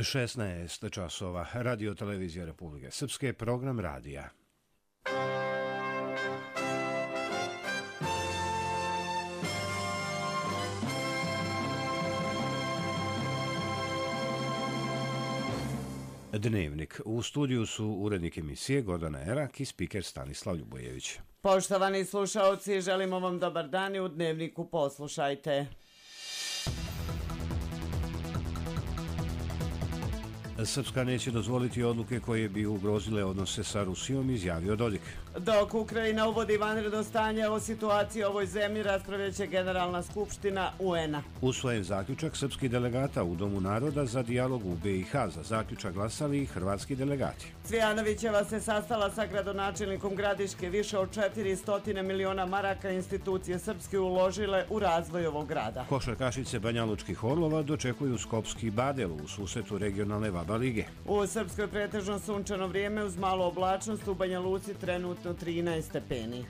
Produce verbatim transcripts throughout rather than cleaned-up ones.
šesnaest časova, Radio Televizija Republike Srpske, program radija. Dnevnik. U studiju su urednik emisije Gordana Erak i spiker Stanislav Ljubojević. Poštovani slušaoci, želimo vam dobar dan i u Dnevniku poslušajte. Srpska neće dozvoliti odluke koje bi ugrozile odnose sa Rusijom, izjavio Dodik. Dok Ukrajina uvodi vanredno stanje o situaciji u ovoj zemlji, raspravljaće Generalna skupština U N-a. Usvojen zaključak srpskih delegata u Domu naroda za dijalog u B i H. Za zaključak glasali i hrvatski delegati. Cvijanovićeva se sastala sa gradonačelnikom Gradiške. Više od četiristo miliona maraka institucije srpske uložile u razvoj ovog grada. Košarkašice Banjalučkih Orlova dočekuju Skopski Badel u susretu regionalne Vaba lige. U Srpskoj pretežno sunčano vrijeme uz malu oblačnost, u Banja Luci trenutno trinaest stepeni.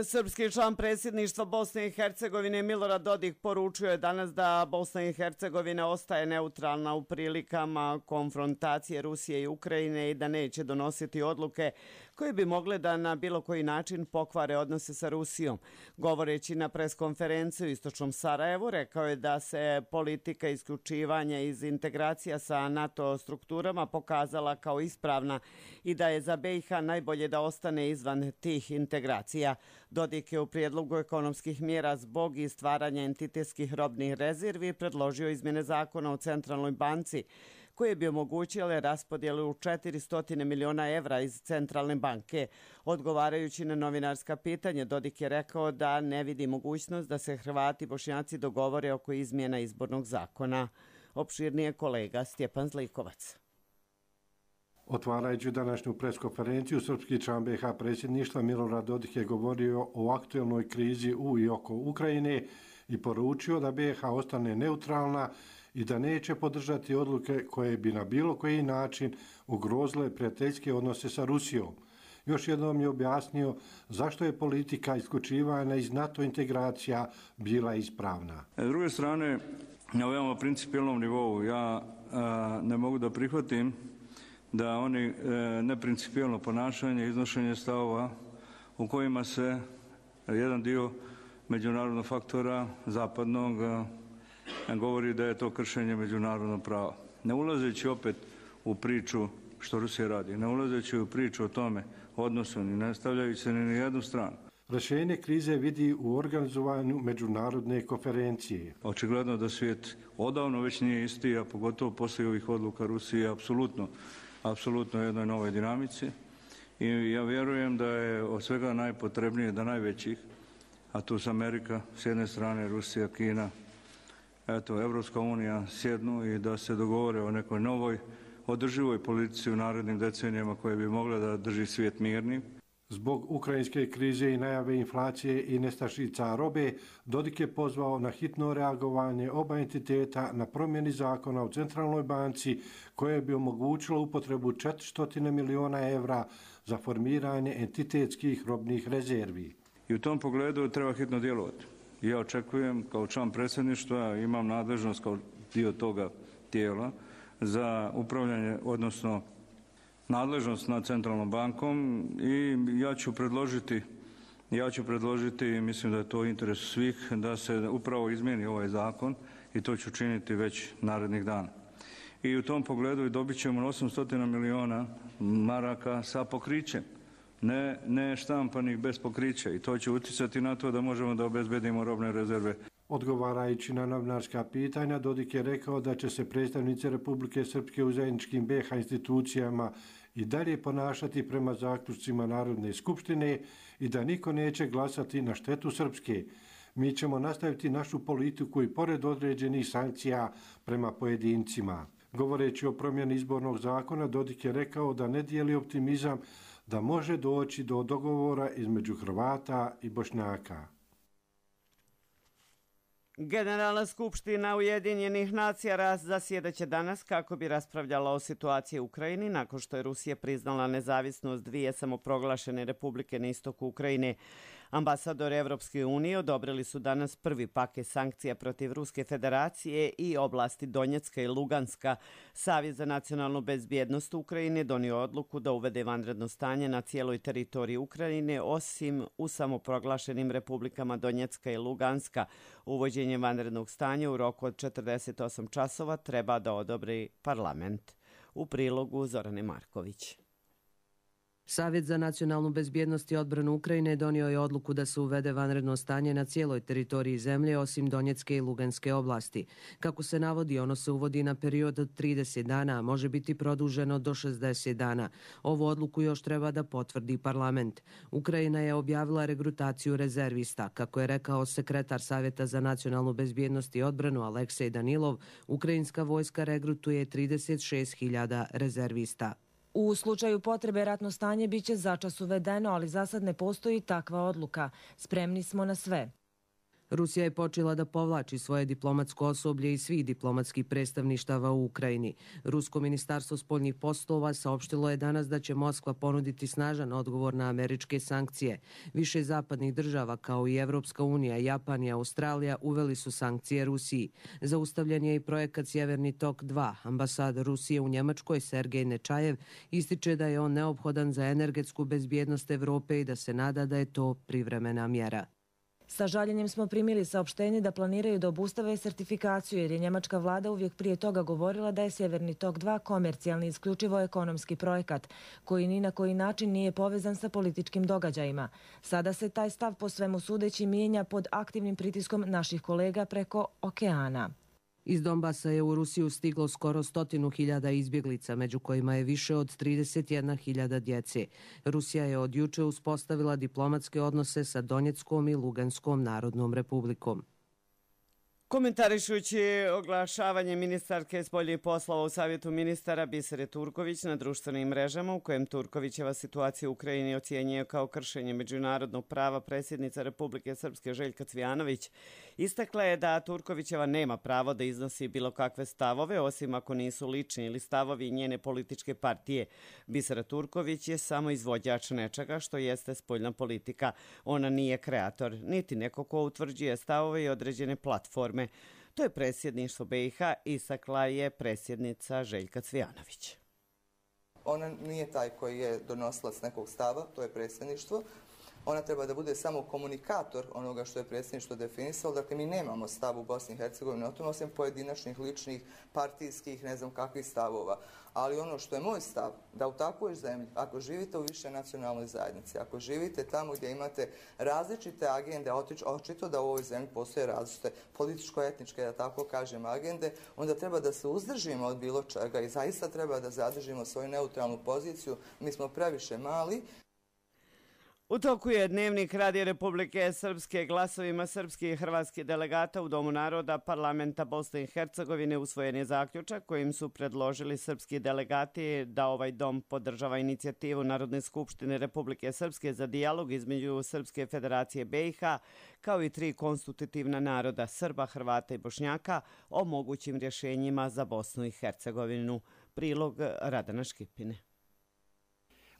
Srpski član predsjedništva Bosne i Hercegovine Milorad Dodik poručio je danas da Bosna i Hercegovina ostaje neutralna u prilikama konfrontacije Rusije i Ukrajine i da neće donositi odluke koje bi mogle da na bilo koji način pokvare odnose sa Rusijom. Govoreći na preskonferenciju u istočnom Sarajevu, rekao je da se politika isključivanja iz integracija sa NATO strukturama pokazala kao ispravna i da je za B i H najbolje da ostane izvan tih integracija. Dodik je u prijedlogu ekonomskih mjera zbog i stvaranja entitetskih robnih rezervi predložio izmjene zakona o centralnoj banci koje bi omogućile raspodjelu četiristo miliona evra iz centralne banke. Odgovarajući na novinarska pitanja, Dodik je rekao da ne vidi mogućnost da se Hrvati i Bošnjaci dogovore oko izmjena izbornog zakona. Opširnije kolega Stjepan Zlikovac. Otvarajući današnju preskonferenciju, srpski član B i H predsjedništva Milorad Dodik je govorio o aktuelnoj krizi u i oko Ukrajine i poručio da B i H ostane neutralna i da neće podržati odluke koje bi na bilo koji način ugrozile prijateljske odnose sa Rusijom. Još jednom je objasnio zašto je politika isključivanja iz NATO integracija bila ispravna. S druge strane, na veoma principijelnom nivou ja a, ne mogu da prihvatim da oni e, neprincipijelno ponašanje, iznošenje stavova u kojima se jedan dio međunarodnog faktora zapadnog e, govori da je to kršenje međunarodnog prava. Ne ulazeći opet u priču što Rusija radi, ne ulazeći u priču o tome odnosu, ni ne stavljajući se ni na jednu stranu. Rješenje krize vidi u organizovanju međunarodne konferencije. Očigledno da svijet odavno već nije isti, a pogotovo poslije ovih odluka Rusije apsolutno apsolutno jednoj novoj dinamici i ja vjerujem da je od svega najpotrebnije da najvećih, a tu su Amerika s jedne strane, Rusija, Kina, eto, Evropska unija sjednu i da se dogovore o nekoj novoj održivoj politici u narednim decenijama koje bi mogle da drži svijet mirnim. Zbog ukrajinske krize i najave inflacije i nestašica robe, Dodik je pozvao na hitno reagovanje oba entiteta na promjeni zakona u centralnoj banci koje bi omogućilo upotrebu četiristo miliona evra za formiranje entitetskih robnih rezervi. I u tom pogledu treba hitno djelovati. Ja očekujem kao član predsjedništva, imam nadležnost kao dio toga tijela za upravljanje, odnosno nadležnost nad centralnom bankom i ja ću predložiti, ja ću predložiti, mislim da je to interes svih, da se upravo izmijeni ovaj zakon i to ću činiti već narednih dana. I u tom pogledu dobit ćemo osamsto miliona maraka sa pokrićem, ne, ne štampanih bez pokrića i to će utjecati na to da možemo da obezbedimo robne rezerve. Odgovarajući na novinarska pitanja, Dodik je rekao da će se predstavnici Republike Srpske u zajedničkim B i H institucijama i dalje ponašati prema zaključcima Narodne skupštine i da niko neće glasati na štetu Srpske. Mi ćemo nastaviti našu politiku i pored određenih sankcija prema pojedincima. Govoreći o promjeni izbornog zakona, Dodik je rekao da ne dijeli optimizam da može doći do dogovora između Hrvata i Bošnjaka. Generalna skupština Ujedinjenih nacija zasjedaće danas kako bi raspravljala o situaciji u Ukrajini nakon što je Rusija priznala nezavisnost dvije samoproglašene republike na istoku Ukrajine. Ambasadori Evropske unije odobrili su danas prvi paket sankcija protiv Ruske federacije i oblasti Donjecka i Luganska. Savjet za nacionalnu bezbjednost Ukrajine donio odluku da uvede vanredno stanje na cijeloj teritoriji Ukrajine, osim u samoproglašenim republikama Donjecka i Luganska. Uvođenje vanrednog stanja u roku od četrdeset osam časova treba da odobri parlament. U prilogu Zorane Marković. Savjet za nacionalnu bezbjednost i odbranu Ukrajine donio je odluku da se uvede vanredno stanje na cijeloj teritoriji zemlje osim Donjecke i Luganske oblasti. Kako se navodi, ono se uvodi na period od trideset dana, a može biti produženo do šezdeset dana. Ovu odluku još treba da potvrdi parlament. Ukrajina je objavila regrutaciju rezervista. Kako je rekao sekretar Savjeta za nacionalnu bezbjednost i odbranu Aleksej Danilov, ukrajinska vojska regrutuje trideset šest hiljada rezervista. U slučaju potrebe ratno stanje biće začas uvedeno, ali za sad ne postoji takva odluka. Spremni smo na sve. Rusija je počela da povlači svoje diplomatsko osoblje iz svih diplomatskih predstavništava u Ukrajini. Rusko ministarstvo spoljnih poslova saopštilo je danas da će Moskva ponuditi snažan odgovor na američke sankcije. Više zapadnih država kao i Evropska unija, Japan i Australija uveli su sankcije Rusiji. Zaustavljen je i projekat Sjeverni tok dva. Ambasador Rusije u Njemačkoj Sergej Nečajev ističe da je on neophodan za energetsku bezbjednost Evrope i da se nada da je to privremena mjera. Sa žaljenjem smo primili saopštenje da planiraju da obustave sertifikaciju jer je njemačka vlada uvijek prije toga govorila da je Sjeverni tok dva komercijalni isključivo ekonomski projekat koji ni na koji način nije povezan sa političkim događajima. Sada se taj stav po svemu sudeći mijenja pod aktivnim pritiskom naših kolega preko okeana. Iz Donbasa je u Rusiju stiglo skoro stotinu hiljada izbjeglica, među kojima je više od trideset jedna hiljada djece. Rusija je od juče uspostavila diplomatske odnose sa Donjeckom i Luganskom narodnom republikom. Komentarišući oglašavanje ministarke spoljnih poslova u Savjetu ministara Bisere Turković na društvenim mrežama u kojem Turkovićeva situacija u Ukrajini ocjenjuje kao kršenje međunarodnog prava, predsjednica Republike Srpske Željka Cvijanović istakla je da Turkovićeva nema pravo da iznosi bilo kakve stavove, osim ako nisu lični ili stavovi njene političke partije. Bisera Turković je samo izvođač nečega što jeste spoljna politika. Ona nije kreator, niti neko ko utvrđuje stavove i određene platforme. To je predsjedništvo B i H, istakla je predsjednica Željka Cvijanović. Ona nije taj koji je donosilac nekog stava, to je predsjedništvo. Ona treba da bude samo komunikator onoga što je predsjedništvo definisalo. Dakle, mi nemamo stav u Bosni i Hercegovini o tome, osim pojedinačnih, ličnih, partijskih, ne znam kakvih stavova. Ali ono što je moj stav, da u takvoj zemlji, ako živite u više nacionalnoj zajednici, ako živite tamo gdje imate različite agende, očito da u ovoj zemlji postoje različite političko-etničke, da tako kažem, agende, onda treba da se uzdržimo od bilo čega i zaista treba da zadržimo svoju neutralnu poziciju. Mi smo previše mali. U toku je dnevnik Radija Republike Srpske glasovima srpskih i hrvatskih delegata u Domu naroda parlamenta Bosne i Hercegovine usvojen je zaključak kojim su predložili srpski delegati da ovaj dom podržava inicijativu Narodne skupštine Republike Srpske za dijalog između Srpske federacije B i H kao i tri konstitutivna naroda Srba, Hrvata i Bošnjaka o mogućim rješenjima za Bosnu i Hercegovinu. Prilog Radana Škipine.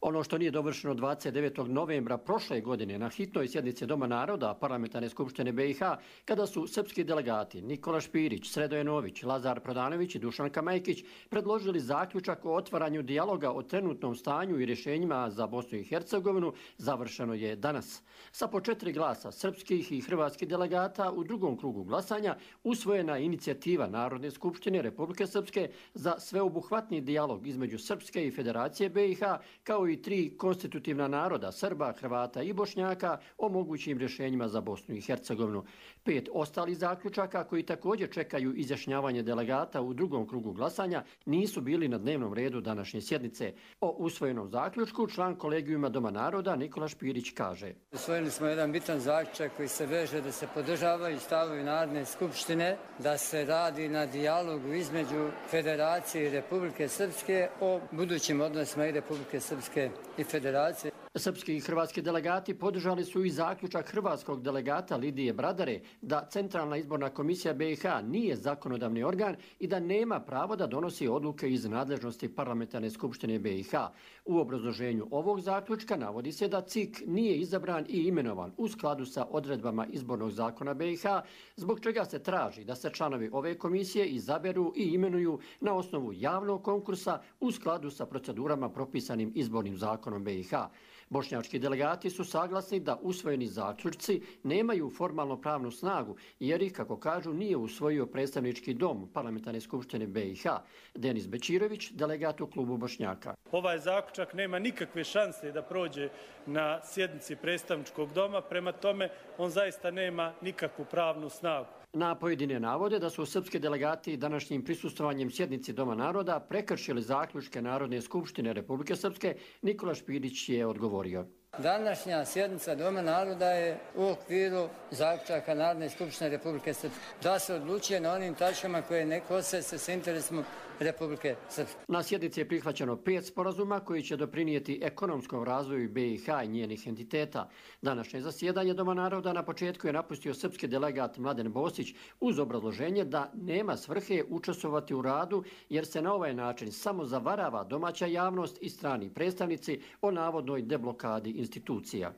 Ono što nije dovršeno dvadeset devetog novembra prošle godine na hitnoj sjednici Doma naroda Parlamentarne skupštine B i H, kada su srpski delegati Nikola Špirić, Sredoje Nović, Lazar Prodanović i Dušan Kamajkić predložili zaključak o otvaranju dijaloga o trenutnom stanju i rješenjima za Bosnu i Hercegovinu, završeno je danas. Sa po četiri glasa srpskih i hrvatskih delegata u drugom krugu glasanja usvojena inicijativa Narodne skupštine Republike Srpske za sveobuhvatni dijalog između Srpske i Federacije B i H, kao i tri konstitutivna naroda Srba, Hrvata i Bošnjaka o mogućim rješenjima za Bosnu i Hercegovinu. Pet ostalih zaključaka koji također čekaju izjašnjavanje delegata u drugom krugu glasanja nisu bili na dnevnom redu današnje sjednice. O usvojenom zaključku član kolegijuma Doma naroda Nikola Špirić kaže: Usvojili smo jedan bitan zaključak koji se veže da se podržavaju stavovi Narodne skupštine, da se radi na dijalogu između Federacije i Republike Srpske o budućim odnosima i Republike Srpske Republike i Federacije. Srpski i hrvatski delegati podržali su i zaključak hrvatskog delegata Lidije Bradare da Centralna izborna komisija B i H nije zakonodavni organ i da nema pravo da donosi odluke iz nadležnosti Parlamentarne skupštine B i H. U obrazloženju ovog zaključka navodi se da C I K nije izabran i imenovan u skladu sa odredbama izbornog zakona B i H, zbog čega se traži da se članovi ove komisije izaberu i imenuju na osnovu javnog konkursa u skladu sa procedurama propisanim izbornim zakonom B i H. Bošnjački delegati su saglasni da usvojeni zaključci nemaju formalno pravnu snagu, jer ih, kako kažu, nije usvojio predstavnički dom Parlamentarne skupštine B i H. Denis Bečirović, delegat u klubu Bošnjaka. Ovaj zaključak nema nikakve šanse da prođe na sjednici predstavničkog doma, prema tome on zaista nema nikakvu pravnu snagu. Na pojedine navode da su srpski delegati današnjim prisustvovanjem sjednici Doma naroda prekršili zaključke Narodne skupštine Republike Srpske, Nikola Špirić je odgovorio. Današnja sjednica Doma naroda je u okviru zaključaka Narodne skupštine Republike Srpske. Da se odlučuje na onim tačkama koje ne kose se s interesom Republike Srpske. Na sjednici je prihvaćeno pet sporazuma koji će doprinijeti ekonomskom razvoju B i H i njenih entiteta. Današnje zasjedanje Doma naroda na početku je napustio srpski delegat Mladen Bosić uz obrazloženje da nema svrhe učestvovati u radu jer se na ovaj način samo zavarava domaća javnost i strani predstavnici o navodnoj deblokadi institucija.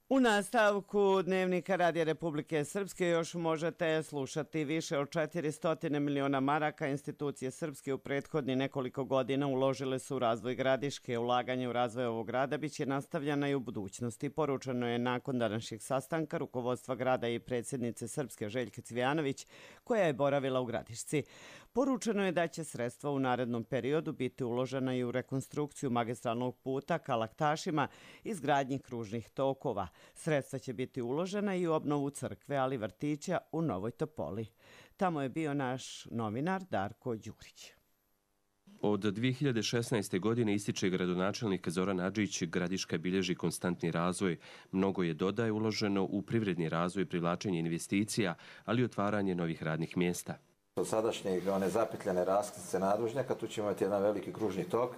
U nastavku Dnevnika Radija Republike Srpske još možete slušati više od četiristo miliona maraka. Institucije Srpske u prethodni nekoliko godina uložile su u razvoj Gradiške. Ulaganje u razvoj ovog grada biće nastavljena i u budućnosti. Poručeno je nakon današnjeg sastanka rukovodstva grada i predsjednice Srpske Željke Cvijanović, koja je boravila u Gradišci. Poručeno je da će sredstva u narednom periodu biti uložena i u rekonstrukciju magistralnog puta ka Laktašima i izgradnji kružnih tokova. Sredstva će biti uložena i u obnovu crkve, ali vrtića u Novoj Topoli. Tamo je bio naš novinar Darko Đurić. Od dvije hiljade šesnaeste. godine ističe gradonačelnik Zoran Adžić, Gradiška bilježi konstantni razvoj. Mnogo je, dodaje, uloženo u privredni razvoj i privlačenje investicija, ali i otvaranje novih radnih mjesta. Od sadašnjeg one zapetljane raskrsnice nadvožnjaka tu ćemo imati jedan veliki kružni tok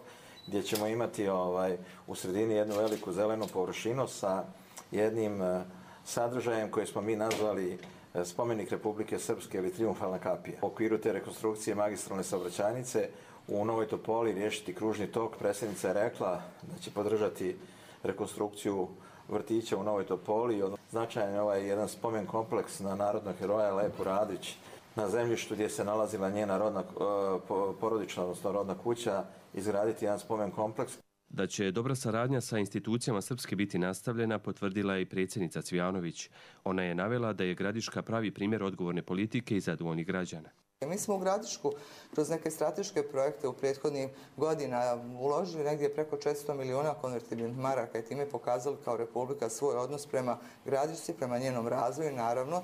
gdje ćemo imati ovaj, u sredini jednu veliku zelenu površinu sa jednim uh, sadržajem koje smo mi nazvali uh, spomenik Republike Srpske ili Trijumfalna kapija. U okviru te rekonstrukcije magistralne saobraćajnice u Novoj Topoli riješiti kružni tok. Predsjednica je rekla da će podržati rekonstrukciju vrtića u Novoj Topoli. Značajan je ovaj jedan spomen kompleks na narodnog heroja Lepu Radić na zemljištu gdje se nalazila njena rodna, porodična, odnosno rodna kuća, izgraditi jedan spomen kompleks. Da će dobra saradnja sa institucijama Srpske biti nastavljena, potvrdila je i predsjednica Cvijanović. Ona je navela da je Gradiška pravi primjer odgovorne politike i zadovoljnih građana. Mi smo u Gradišku kroz neke strateške projekte u prethodnih godina uložili negdje preko četiristo miliona konvertibilnih maraka i time pokazali kao Republika svoj odnos prema Gradišci, prema njenom razvoju, naravno,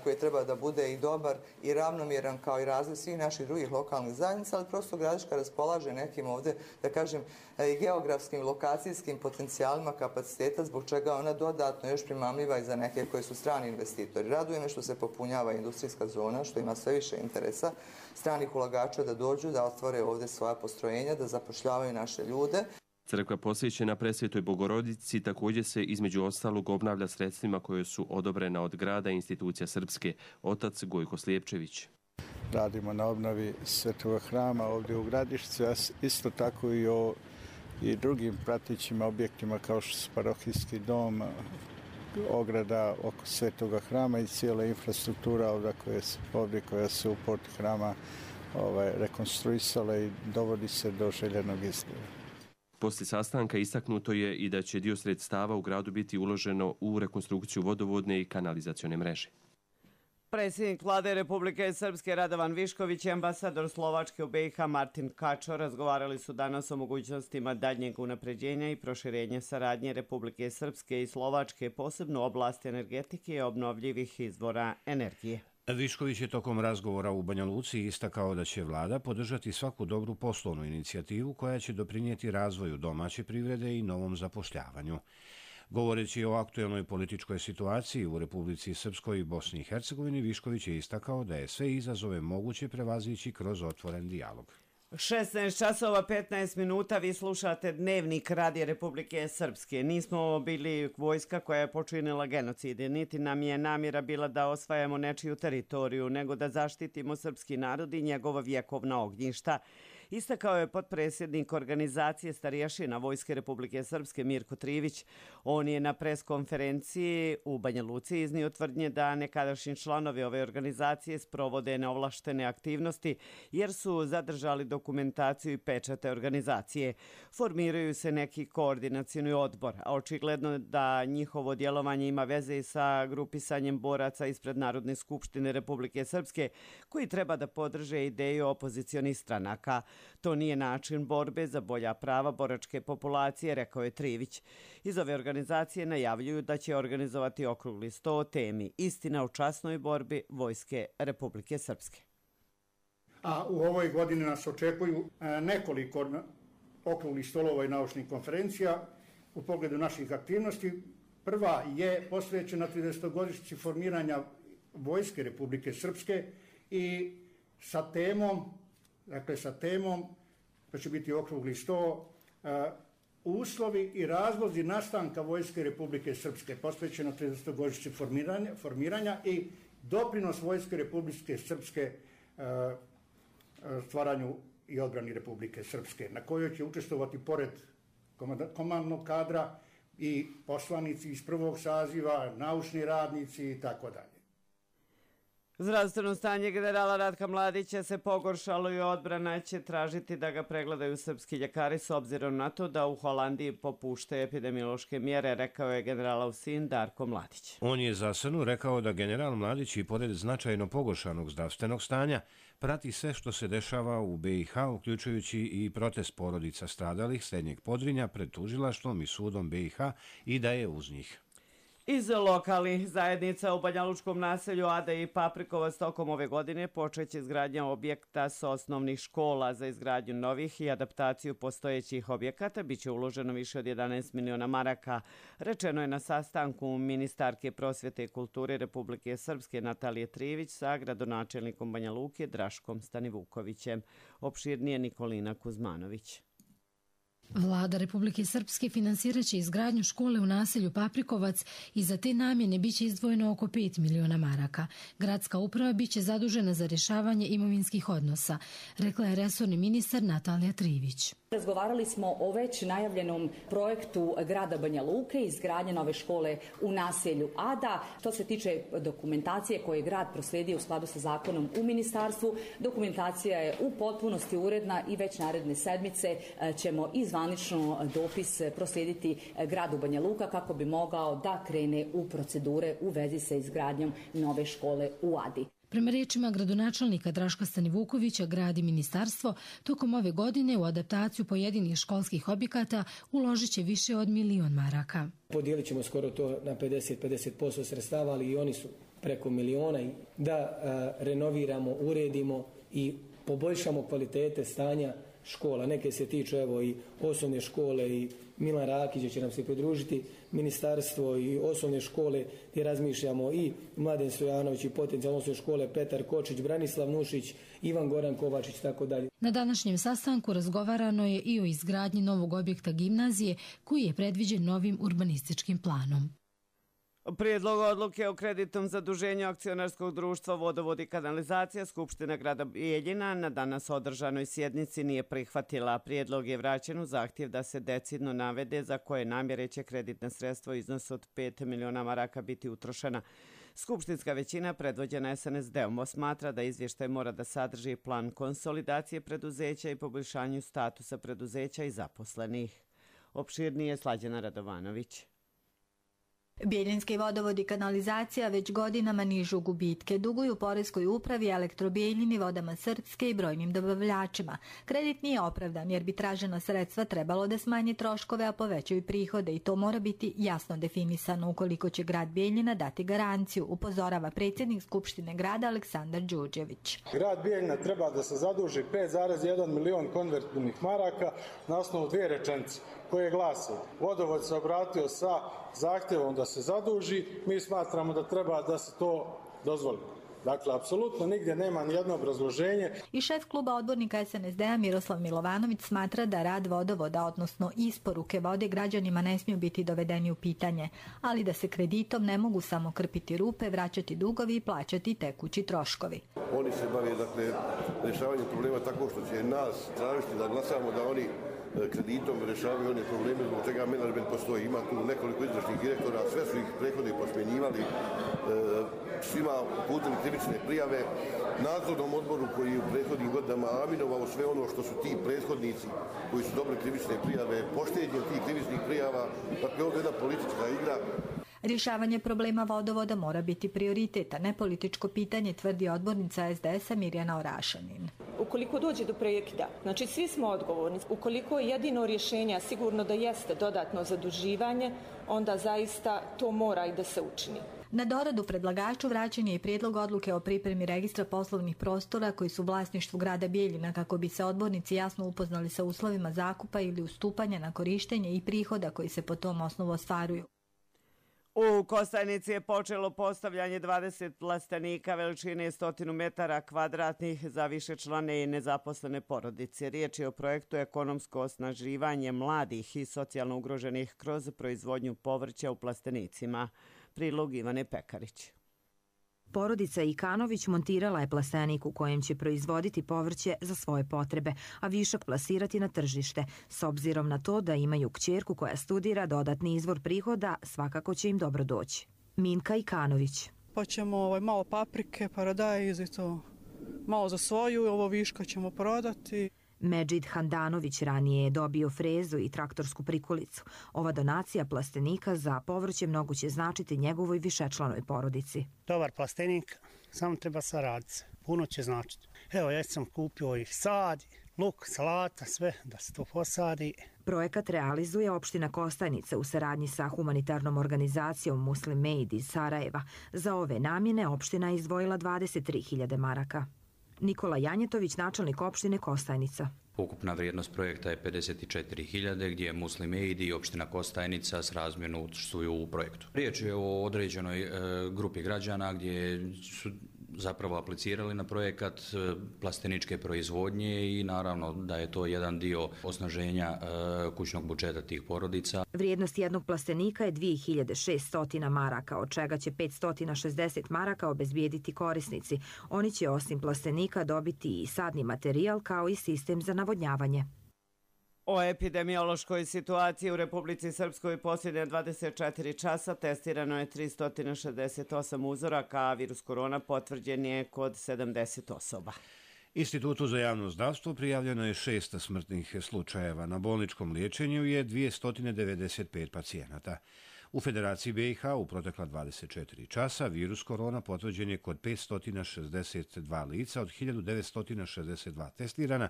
koji treba da bude i dobar i ravnomjeran kao i razvoj svih naših drugih lokalnih zajednica, ali prosto Gradiška raspolaže nekim ovdje, da kažem, i geografskim, lokacijskim potencijalima kapaciteta, zbog čega ona dodatno još primamljiva i za neke koji su strani investitori. Raduje me što se popunjava industrijska zona, što ima sve više interesa stranih ulagača da dođu, da otvore ovdje svoja postrojenja, da zapošljavaju naše ljude. Crkva posvećena Presvetoj Bogorodici također se između ostalog obnavlja sredstvima koje su odobrena od grada i institucija Srpske. Otac Gojko Slijepčević. Radimo na obnovi Svetog hrama ovdje u Gradišci, a isto tako i o i drugim pratićim objektima kao što su parohijski dom, ograda oko Svetoga hrama i cijela infrastruktura ovdje koja se, ovdje koja se u portu hrama ovaj, rekonstruisala i dovodi se do željenog izgleda. Poslije sastanka istaknuto je i da će dio sredstava u gradu biti uloženo u rekonstrukciju vodovodne i kanalizacione mreže. Predsjednik vlade Republike Srpske Radovan Višković i ambasador Slovačke u B i H Martin Kačo razgovarali su danas o mogućnostima daljnjeg unapređenja i proširenja saradnje Republike Srpske i Slovačke, posebno u oblasti energetike i obnovljivih izvora energije. Višković je tokom razgovora u Banja Luci istakao da će vlada podržati svaku dobru poslovnu inicijativu koja će doprinijeti razvoju domaće privrede i novom zapošljavanju. Govoreći o aktuelnoj političkoj situaciji u Republici Srpskoj i Bosni i Hercegovini, Višković je istakao da je sve izazove moguće prevazići kroz otvoren dijalog. šesnaest časova petnaest minuta, vi slušate Dnevnik Radija Republike Srpske. Nismo bili vojska koja je počinila genocid, niti nam je namjera bila da osvajamo nečiju teritoriju, nego da zaštitimo srpski narod i njegova vjekovna ognjišta. Istakao je potpredsjednik organizacije Starješina Vojske Republike Srpske Mirko Trivić. On je na preskonferenciji u Banja Luci iznio tvrdnje da nekadašnji članovi ove organizacije sprovode neovlaštene aktivnosti jer su zadržali dokumentaciju i pečate organizacije. Formiraju se neki koordinacioni odbor, a očigledno da njihovo djelovanje ima veze i sa grupisanjem boraca ispred Narodne skupštine Republike Srpske koji treba da podrže ideju opozicionih stranaka. To nije način borbe za bolja prava boračke populacije, rekao je Trivić. Iz ove organizacije najavljuju da će organizovati okrugli sto o temi Istina o časnoj borbi Vojske Republike Srpske. A u ovoj godini nas očekuju nekoliko okruglih stolova i naučnih konferencija u pogledu naših aktivnosti. Prva je posvećena tridesetogodišnjici formiranja Vojske Republike Srpske i sa temom Dakle, sa temom, to će biti okrugli sto, uh, uslovi i razlozi nastanka Vojske Republike Srpske, posvećeno tridesetogodišnjici formiranja, formiranja i doprinos Vojske Republike Srpske uh, stvaranju i odbrani Republike Srpske, na kojoj će učestvovati pored komandnog kadra i poslanici iz prvog saziva, naučni radnici i tako dalje. Zdravstveno stanje generala Ratka Mladića se pogoršalo i odbrana će tražiti da ga pregledaju srpski ljekari s obzirom na to da u Holandiji popušte epidemiološke mjere, rekao je generalov sin Darko Mladić. On je za S N U rekao da general Mladić i pored značajno pogoršanog zdravstvenog stanja prati sve što se dešava u B i H, uključujući i protest porodica stradalih Srednjeg Podrinja pred tužilaštvom i sudom B i H i da je uz njih. Iz lokalnih zajednica u banjalučkom naselju Ada i Paprikovac tokom ove godine počeće izgradnja objekta s osnovnih škola. Za izgradnju novih i adaptaciju postojećih objekata biće uloženo više od jedanaest miliona maraka. Rečeno je na sastanku ministarke prosvjete i kulture Republike Srpske Natalije Trivić sa gradonačelnikom Banja Luke Draškom Stanivukovićem. Opširnije Nikolina Kuzmanović. Vlada Republike Srpske finansiraće izgradnju škole u naselju Paprikovac i za te namjene biće izdvojeno oko pet miliona maraka. Gradska uprava biće zadužena za rješavanje imovinskih odnosa, rekla je resorni ministar Natalija Trivić. Razgovarali smo o već najavljenom projektu grada Banja Luke, izgradnje nove škole u naselju Ada. Što se tiče dokumentacije koje je grad proslijedio u skladu sa zakonom u ministarstvu, dokumentacija je u potpunosti uredna i već naredne sedmice ćemo izvanično dopis proslijediti gradu Banja Luka kako bi mogao da krene u procedure u vezi sa izgradnjom nove škole u Adi. Prema riječima gradonačelnika Draška Stanivukovića, grad i ministarstvo tokom ove godine u adaptaciju pojedinih školskih objekata uložit će više od milion maraka. Podijelit ćemo skoro to na pedeset do pedeset posto sredstava, ali i oni su preko miliona, da a, renoviramo, uredimo i poboljšamo kvalitete stanja škola. Neke se tiču evo i osnovne škole i Milan Rakić će nam se pridružiti, ministarstvo i osnovne škole gdje razmišljamo i Mladen Stojanović i potencijalno osnovne škole Petar Kočić, Branislav Nušić, Ivan Goran Kovačić i tako dalje. Na današnjem sastanku razgovarano je i o izgradnji novog objekta gimnazije koji je predviđen novim urbanističkim planom. Prijedlog odluke o kreditnom zaduženju akcionarskog društva Vodovod i kanalizacija Skupština grada Bijeljina na danas održanoj sjednici nije prihvatila. Prijedlog je vraćen u zahtjev da se decidno navede za koje namjere će kreditna sredstva u iznosu od pet miliona maraka biti utrošena. Skupštinska većina predvođena S N S D-om smatra da izvještaj mora da sadrži plan konsolidacije preduzeća i poboljšanju statusa preduzeća i zaposlenih. Opširnije Slađana Radovanović. Bijeljinski vodovod i kanalizacija već godinama nižu gubitke, duguju poreskoj upravi, Elektrobijeljini, Vodama Srpske i brojnim dobavljačima. Kredit nije opravdan jer bi tražena sredstva trebalo da smanje troškove, a povećaju prihode i to mora biti jasno definisano ukoliko će grad Bijeljina dati garanciju, upozorava predsjednik Skupštine grada Aleksandar Đurđević. Grad Bijeljina treba da se zaduži pet zarez jedan milion konvertibilnih maraka na osnovu dvije rečenice koje glase: Vodovod se obratio sa zahtjevom da se zaduži, mi smatramo da treba da se to dozvoli. Dakle, apsolutno nigdje nema nijedno obrazloženje. I šef kluba odbornika S N S D-a Miroslav Milovanović smatra da rad vodovoda, odnosno isporuke vode građanima ne smiju biti dovedeni u pitanje, ali da se kreditom ne mogu samo krpiti rupe, vraćati dugovi i plaćati tekući troškovi. Oni se bave, dakle, rješavanjem problema tako što će nas tražiti da glasamo da oni kreditom rješavaju one probleme zbog čega menadžment postoji. Ima tu nekoliko izvršnih direktora, sve su ih prethodno posmjenjivali, svima uputili krivične prijave. Nadzornom odboru koji je u prethodnim godinama aminovao sve ono što su ti prethodnici koji su dobili krivične prijave, pošteđenjem tih krivičnih prijava, dakle ovdje je jedna politička igra. Rješavanje problema vodovoda mora biti prioritet, a ne političko pitanje, tvrdi odbornica S D S-a Mirjana Orašanin. Ukoliko dođe do prekida, znači svi smo odgovorni. Ukoliko je jedino rješenje, sigurno da jeste dodatno zaduživanje, onda zaista to mora i da se učini. Na doradu predlagaču vraćen je i prijedlog odluke o pripremi registra poslovnih prostora koji su u vlasništvu grada Bijeljina kako bi se odbornici jasno upoznali sa uslovima zakupa ili ustupanja na korištenje i prihoda koji se po tom osnovu ostvaruju. U Kostajnici je počelo postavljanje dvadeset plastenika veličine sto metara kvadratnih za višečlane i nezaposlene porodice. Riječ je o projektu ekonomsko osnaživanje mladih i socijalno ugroženih kroz proizvodnju povrća u plastenicima. Prilog Ivane Pekarić. Porodica Ikanović montirala je plastenik u kojem će proizvoditi povrće za svoje potrebe, a višak plasirati na tržište. S obzirom na to da imaju kćerku koja studira, dodatni izvor prihoda svakako će im dobro doći. Minka Ikanović. Pa ćemo ovaj, malo paprike, paradajz i to malo za svoju, ovo viška ćemo prodati. Medžid Handanović ranije je dobio frezu i traktorsku prikolicu. Ova donacija plastenika za povrće mnogo će značiti njegovoj višečlanoj porodici. Dobar plastenik, samo treba saraditi. Puno će značiti. Evo, ja sam kupio i sad, luk, salata, sve da se to posadi. Projekat realizuje opština Kostajnica u saradnji sa humanitarnom organizacijom Muslim Aid iz Sarajeva. Za ove namjene opština je izdvojila dvadeset tri hiljade maraka. Nikola Janjetović, načelnik opštine Kostajnica. Ukupna vrijednost projekta je pedeset četiri hiljade, gdje je Muslim Aid i opština Kostajnica s razmjerno učestvuju u projektu. Riječ je o određenoj e, grupi građana gdje su zapravo aplicirali na projekat plasteničke proizvodnje i naravno da je to jedan dio osnaženja e, kućnog budžeta tih porodica. Vrijednost jednog plastenika je dvije hiljade šesto maraka, od čega će petsto šezdeset maraka obezbijediti korisnici. Oni će osim plastenika dobiti i sadni materijal kao i sistem za navodnjavanje. O epidemiološkoj situaciji u Republici Srpskoj posljednje dvadeset četiri časa testirano je tristo šezdeset osam uzoraka, a virus korona potvrđen je kod sedamdeset osoba. Institutu za javno zdravstvo prijavljeno je šest smrtnih slučajeva. Na bolničkom liječenju je dvjesto devedeset pet pacijenata. U Federaciji B i H u protekla dvadeset četiri časa virus korona potvrđen je kod petsto šezdeset dva lica od hiljadu devetsto šezdeset dva testirana,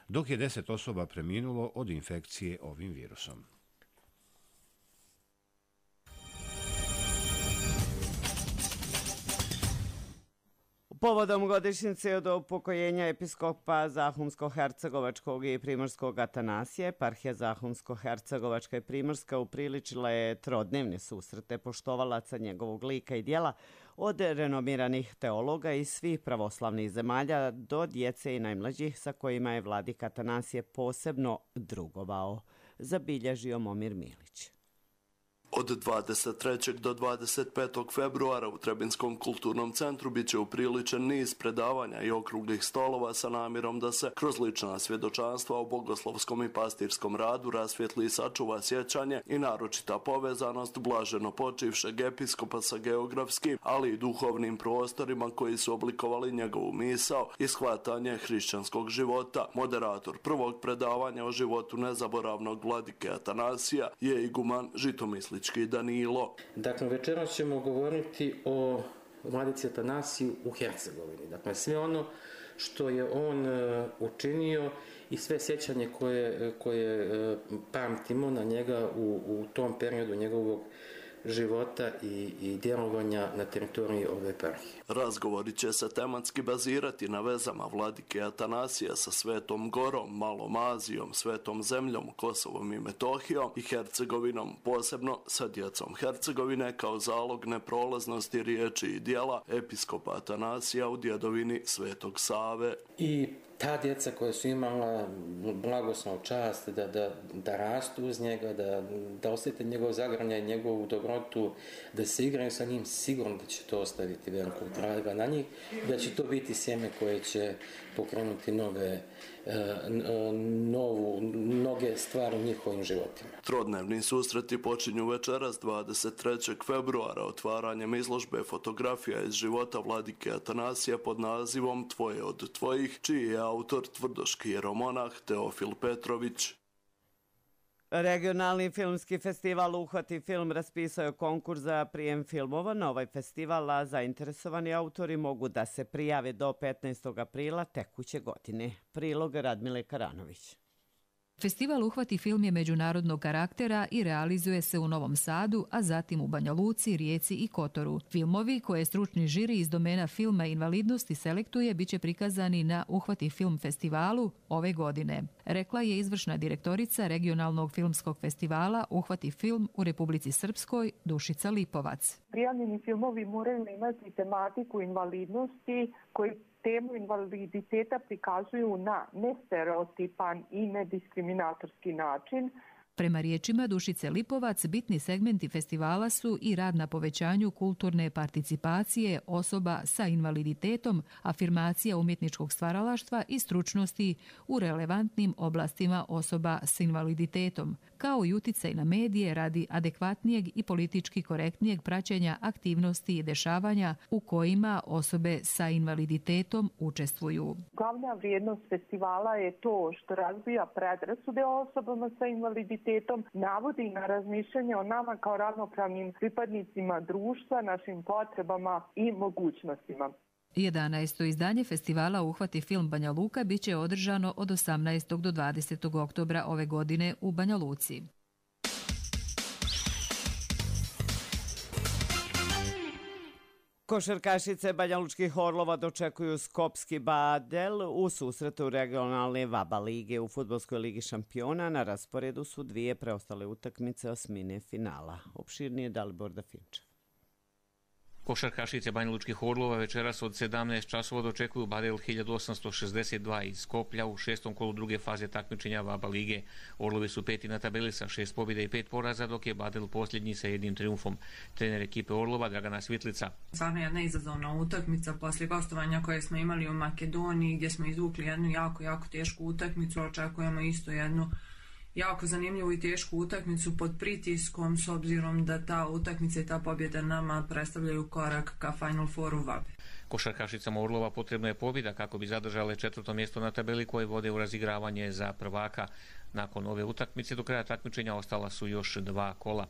dok je deset osoba preminulo od infekcije ovim virusom. Povodom godišnjice od upokojenja episkopa Zahumsko-Hercegovačkog i Primorskog Atanasije, eparhija Zahumsko-Hercegovačka i Primorska upriličila je trodnevne susrete poštovalaca njegovog lika i dijela, od renomiranih teologa iz svih pravoslavnih zemalja do djece i najmlađih sa kojima je vladika Atanasije posebno drugovao, zabilježio Momir Milić. Od dvadeset trećeg do dvadeset petog februara u Trebinskom kulturnom centru bit će upriličen niz predavanja i okruglih stolova sa namjerom da se kroz lična svjedočanstva o bogoslovskom i pastirskom radu rasvijetli i sačuva sjećanje i naročita povezanost blaženo počivšeg episkopa sa geografskim, ali i duhovnim prostorima koji su oblikovali njegovu misao i shvatanje hrišćanskog života. Moderator prvog predavanja o životu nezaboravnog vladike Atanasija je iguman Žitomislić Danilo. Dakle, večeras ćemo govoriti o vladici Atanasiju u Hercegovini. Dakle, sve ono što je on uh, učinio i sve sjećanje koje, koje uh, pamtimo na njega u, u tom periodu njegovog života i, i djelovanja na teritoriji ove eparhije. Razgovori će se tematski bazirati na vezama vladike Atanasija sa Svetom Gorom, Malom Azijom, Svetom zemljom, Kosovom i Metohijom i Hercegovinom, posebno sa djecom Hercegovine kao zalog neprolaznosti riječi i dijela episkopa Atanasija u djedovini Svetog Save. I ta djeca koja su imala blagoslov čast da, da, da rastu uz njega, da, da osjete njegov zagrljaj, njegovu dobrotu, da se igraju sa njim, sigurno da će to ostaviti velikog traga na njih, da će to biti sjeme koje će pokrenuti nove, novu, mnoge stvari u njihovim životima. Trodnevni susreti počinju večeras dvadeset trećeg februara otvaranjem izložbe fotografija iz života vladike Atanasija pod nazivom Tvoje od tvojih, čiji je autor tvrdoški jeromonah Teofil Petrović. Regionalni filmski festival Uhvati film raspisao je konkurs za prijem filmova na ovaj festival, a zainteresovani autori mogu da se prijave do petnaestog aprila tekuće godine. Prilog Radmile Karanović. Festival Uhvati film je međunarodnog karaktera i realizuje se u Novom Sadu, a zatim u Banja Luci, Rijeci i Kotoru. Filmovi koje stručni žiri iz domena filma i invalidnosti selektuje biće prikazani na Uhvati film festivalu ove godine, rekla je izvršna direktorica regionalnog filmskog festivala Uhvati film u Republici Srpskoj Dušica Lipovac. Prijavljeni filmovi moraju imati tematiku invalidnosti koji temu invaliditeta prikazuju na nestereotipan i nediskriminatorski način. Prema riječima Dušice Lipovac, bitni segmenti festivala su i rad na povećanju kulturne participacije osoba sa invaliditetom, afirmacija umjetničkog stvaralaštva i stručnosti u relevantnim oblastima osoba s invaliditetom, kao i uticaj na medije radi adekvatnijeg i politički korektnijeg praćenja aktivnosti i dešavanja u kojima osobe sa invaliditetom učestvuju. Glavna vrijednost festivala je to što razbija predrasude o osobama sa invaliditetom, navodi na razmišljanje o nama kao ravnopravnim pripadnicima društva, našim potrebama i mogućnostima. jedanaesto izdanje festivala Uhvati film Banja Luka biće održano od osamnaestog do dvadesetog oktobra ove godine u Banja Luci. Košarkašice banjalučkih Orlova dočekuju Skopski Badel u susretu regionalne VABA lige u Fudbalskoj ligi šampiona. Na rasporedu su dvije preostale utakmice osmine finala. Opširnije Dalibor Dafinčev. Košarkašice banjalučkih Orlova večeras od sedamnaest časova dočekuju Badel hiljadu osamsto šezdeset dva iz Skoplja u šestom kolu druge faze takmičenja VABA lige. Orlovi su peti na tabeli sa šest pobjeda i pet poraza, dok je Badel posljednji sa jednim triumfom. Trener ekipe Orlova Dragana Svitlica. Stvarno jedna izazovna utakmica poslije gostovanja koje smo imali u Makedoniji, gdje smo izvukli jednu jako, jako tešku utakmicu. Očekujemo isto jednu jako zanimljivu i tešku utakmicu pod pritiskom, s obzirom da ta utakmica i ta pobjeda nama predstavljaju korak ka Final Fouru VABE. Košarkašicama Orlova potrebno je pobjeda kako bi zadržale četvrto mjesto na tabeli koje vode u razigravanje za prvaka. Nakon ove utakmice do kraja takmičenja ostala su još dva kola.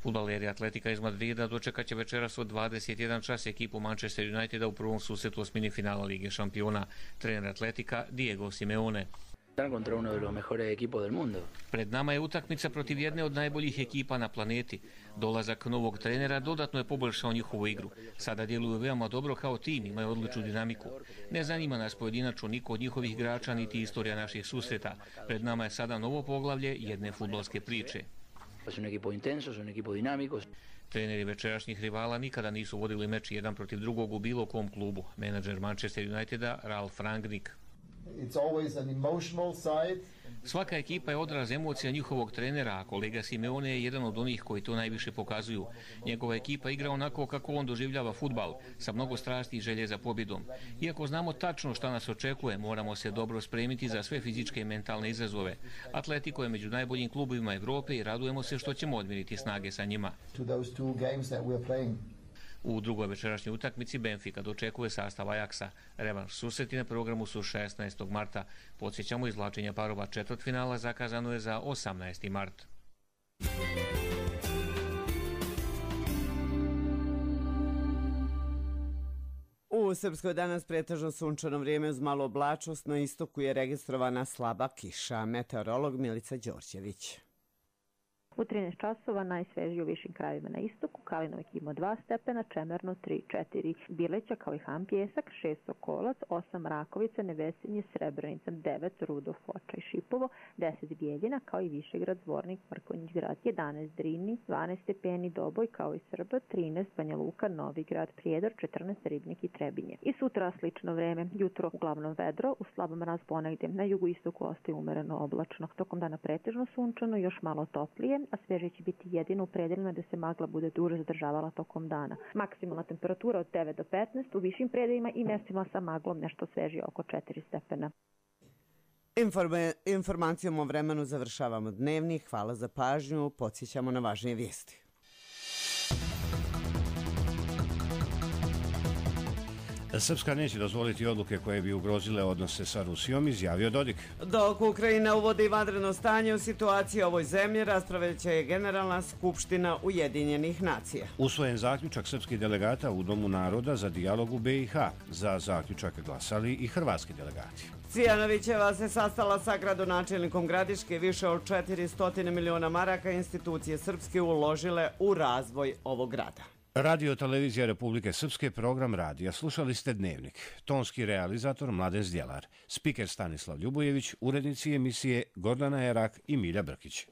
Fudbaleri Atletika iz Madrida dočekat će večeras od dvadeset jedan čas ekipu Manchester Uniteda u prvom susretu osmini finala Lige šampiona. Trener Atletika Diego Simeone. Contra uno de los mejores equipos del mundo. Pred nama je utakmica protiv jedne od najboljih ekipa na planeti. Dolazak novog trenera dodatno je poboljšao njihovu igru. Sada djeluju veoma dobro kao tim, imaju odličnu dinamiku. Ne zanima nas pojedinačno niko od njihovih igrača niti istorija naših susreta. Pred nama je sada novo poglavlje jedne fudbalske priče. Su un equipo intenso, su un equipo dinámico. Treneri večerašnjih rivala nikada nisu vodili meč jedan protiv drugog u bilo kom klubu. Menadžer Manchester Uniteda Ralf Rangnick. It's always an emotional side. Svaka ekipa je odraz emocija njihovog trenera, a kolega Simeone je jedan od onih koji to najviše pokazuju. Njegova ekipa igra onako kako on doživljava fudbal, sa mnogo strasti i želje za pobjedom. Iako znamo tačno šta nas očekuje, moramo se dobro spremiti za sve fizičke i mentalne izazove. Atletico je među najboljim klubovima Evrope i radujemo se što ćemo odmiriti snage sa njima. To those two games that we're playing. U drugoj večerašnjoj utakmici Benfica dočekuje sastav Ajaxa. Revanš susreti na programu su šesnaestog marta. Podsjećamo, izvlačenje parova četvrtfinala zakazano je za osamnaesti mart. U Srpskoj danas pretežno sunčano vrijeme uz malo oblačnost, na istoku je registrovana slaba kiša. Meteorolog Milica Đorđević. U trinaest časova najsvežije u višim krajevima na istoku, Kalinovik ima dva stepena, Čemerno tri četiri, Bileća kao i Han Pjesak šest, Sokolac osam, Rakovica, Nevesinje, Srebrenica devet, Rudo, Foča i Šipovo deset, Bijeljina kao i Višegrad, Zvornik, Mrkonjić Grad jedanaest, Drini dvanaest stepeni, Doboj kao i Srba trinaest, Banja Luka, Novi Grad, Prijedor četrnaest, Ribnik i Trebinje. I sutra slično vreme, jutro uglavnom vedro, u slabom mraz ponegdje, na jugoistoku ostaje umereno oblačno. Tokom dana pretežno sunčano, još malo toplije, a sveže će biti jedino u predeljima da se magla bude duže zadržavala tokom dana. Maksimalna temperatura od devet do petnaest, u višim predeljima i mjestima sa maglom nešto svežije oko četiri stepena. Informe, informacijom o vremenu završavamo dnevnik. Hvala za pažnju. Podsjećamo na važnije vijesti. Srpska neće dozvoliti odluke koje bi ugrozile odnose sa Rusijom, izjavio Dodik. Dok Ukrajina uvodi vanredno stanje u situaciji ovoj zemlji, raspravljaće je Generalna skupština Ujedinjenih nacija. Usvojen zaključak srpskih delegata u Domu naroda za dijalog u be i ha. Za zaključak glasali i hrvatski delegati. Cvijanovićeva se sastala sa gradonačelnikom Gradiške. Više od četiristo miliona maraka institucije srpske uložile u razvoj ovog grada. Radio Televizija Republike Srpske, program radija. Slušali ste Dnevnik. Tonski realizator Mladen Zdjelar. Spiker Stanislav Ljubojević, urednici emisije Gordana Erak i Milja Brkić.